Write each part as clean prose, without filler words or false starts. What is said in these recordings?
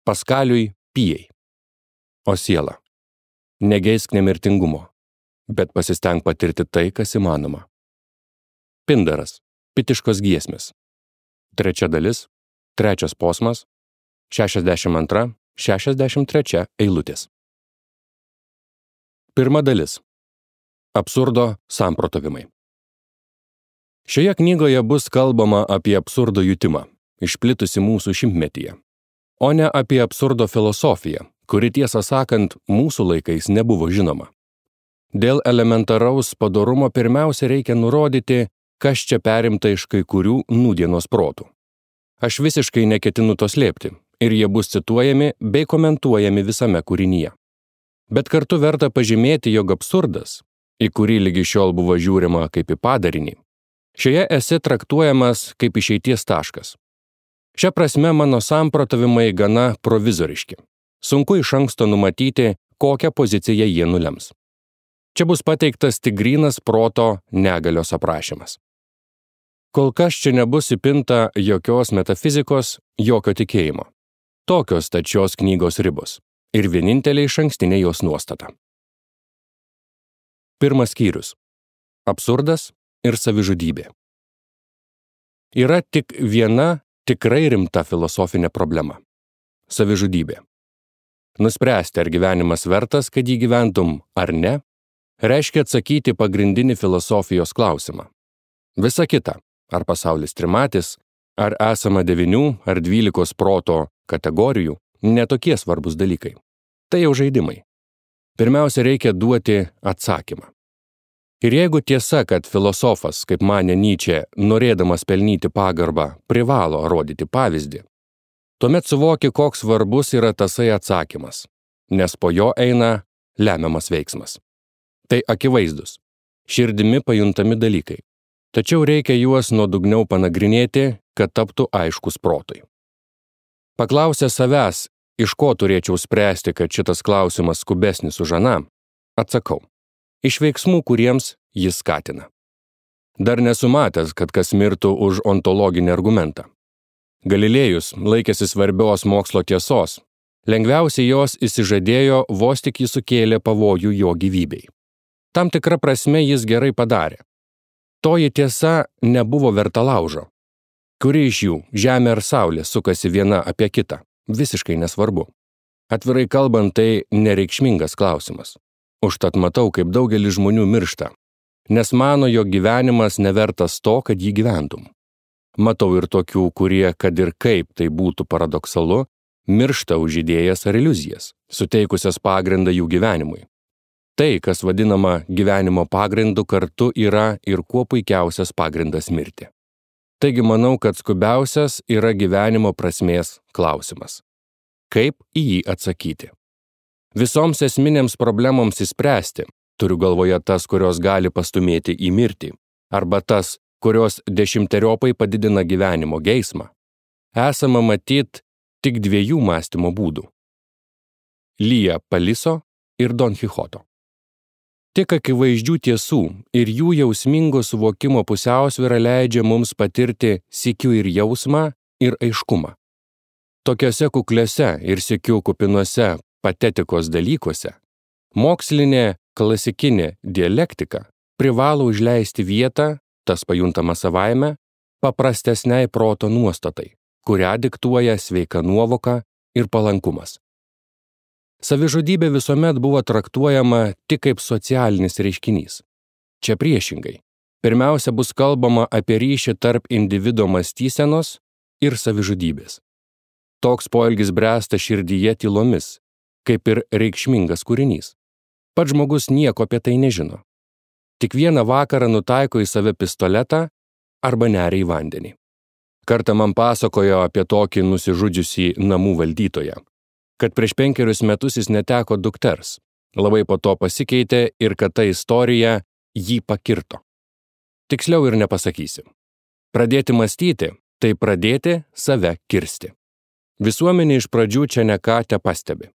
Paskaliui Pijai. O siela, negeisk nemirtingumo, bet pasistenk patirti tai, kas įmanoma. Pindaras, Pitiškos giesmės. 3 dalis, 3 posmas, 62-63 eilutės. 1 dalis. Absurdo samprotavimai. Šioje knygoje bus kalbama apie absurdo jutimą, išplitusi mūsų šimtmetyje, o ne apie absurdo filosofiją, kuri tiesą sakant mūsų laikais nebuvo žinoma. Dėl elementaraus padorumo pirmiausia reikia nurodyti, kas čia perimta iš kai kurių nūdienos protų. Aš visiškai neketinu to slėpti, ir jie bus cituojami bei komentuojami visame kūrinyje. Bet kartu verta pažymėti, jog absurdas, į kurį lygi šiol buvo žiūrima kaip į padarinį, šioje esė traktuojamas kaip išeities taškas. Šia prasme mano samprotavimai gana provizoriški. Sunku iš anksto numatyti, kokią poziciją jie nulems. Čia bus pateiktas tik grynas proto negalios aprašymas. Kol kas čia nebus įpinta jokios metafizikos, jokio tikėjimo. Tokios stačios knygos ribos ir vienintelė išankstinė jos nuostata. 1 skyrius. Absurdas ir savižudybė. Yra tik viena tikrai rimta filosofinė problema – savižudybė. Nuspręsti, ar gyvenimas vertas, kad jį gyventum, ar ne, reiškia atsakyti pagrindinį filosofijos klausimą. Visa kita, ar pasaulis trimatis, ar esama 9 ar 12 proto kategorijų, netokie svarbus dalykai. Tai jau žaidimai. Pirmiausia, reikia duoti atsakymą. Ir jeigu tiesa, kad filosofas, kaip manė Nyčė, norėdamas pelnyti pagarbą, privalo rodyti pavyzdį, tuomet suvoki, koks svarbus yra tasai atsakymas, nes po jo eina lemiamas veiksmas. Tai akivaizdus, širdimi pajuntami dalykai, tačiau reikia juos nuodugniau panagrinėti, kad taptų aiškus protui. Paklausę savęs, iš ko turėčiau spręsti, kad šitas klausimas skubesnis už aną, atsakau. Iš veiksmų, kuriems jis skatina. Dar nesu matęs, kad kas mirtų už ontologinį argumentą. Galilėjus laikėsi svarbios mokslo tiesos, lengviausiai jos išsižadėjo vos tik jis sukėlė pavojų jo gyvybei. Tam tikra prasme jis gerai padarė. Toji tiesa nebuvo verta laužo. Kuri iš jų, Žemė ar Saulė, sukasi viena apie kitą, visiškai nesvarbu. Atvirai kalbant, tai nereikšmingas klausimas. Užtat matau, kaip daugelis žmonių miršta, nes mano, jog gyvenimas nevertas to, kad jį gyventum. Matau ir tokių, kurie, kad ir kaip tai būtų paradoksalu, miršta už idėjas ar iliuzijas, suteikusias pagrindą jų gyvenimui. Tai, kas vadinama gyvenimo pagrindu, kartu yra ir kuo puikiausias pagrindas mirti. Taigi manau, kad skubiausias yra gyvenimo prasmės klausimas. Kaip į jį atsakyti? Visoms esminėms problemoms išspręsti, turiu galvoje tas, kurios gali pastumėti į mirtį, arba tas, kurios 10-eriopai padidina gyvenimo geismą, esama matyt tik 2 mąstymo būdų – Lija Paliso ir Don Kichoto. Tik akivaizdžių tiesų ir jų jausmingo suvokimo pusiausvyra leidžia mums patirti sykiu ir jausmą, ir aiškumą. Tokiuose kukliuose ir sykiu kupinuose patetikos dalykuose mokslinė klasikinė dialektika privalo užleisti vietą, tas pajuntama savaime, paprastesniai proto nuostatai, kurią diktuoja sveika nuovoka ir palankumas. Savižudybė visuomet buvo traktuojama tik kaip socialinis reiškinys. Čia priešingai. Pirmiausia bus kalbama apie ryšį tarp individo mąstysenos ir savižudybės. Toks poelgis bręsta širdyje tylomis, kaip ir reikšmingas kūrinys. Pats žmogus nieko apie tai nežino. Tik vieną vakarą nutaiko į save pistoletą arba neria į vandenį. Kartą man pasakojo apie tokį nusižudžiusį namų valdytoją, kad prieš 5 metus jis neteko dukters, labai po to pasikeitė ir kad ta istorija jį pakirto. Tiksliau ir nepasakysi. Pradėti mąstyti, tai pradėti save kirsti. Visuomenė iš pradžių čia ne ką tepastebi.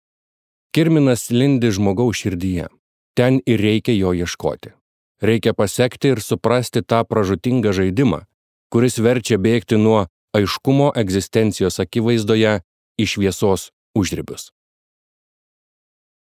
Kirminas lindi žmogaus širdyje. Ten ir reikia jo ieškoti. Reikia pasekti ir suprasti tą pražūtingą žaidimą, kuris verčia bėgti nuo aiškumo egzistencijos akivaizdoje į šviesos užribius.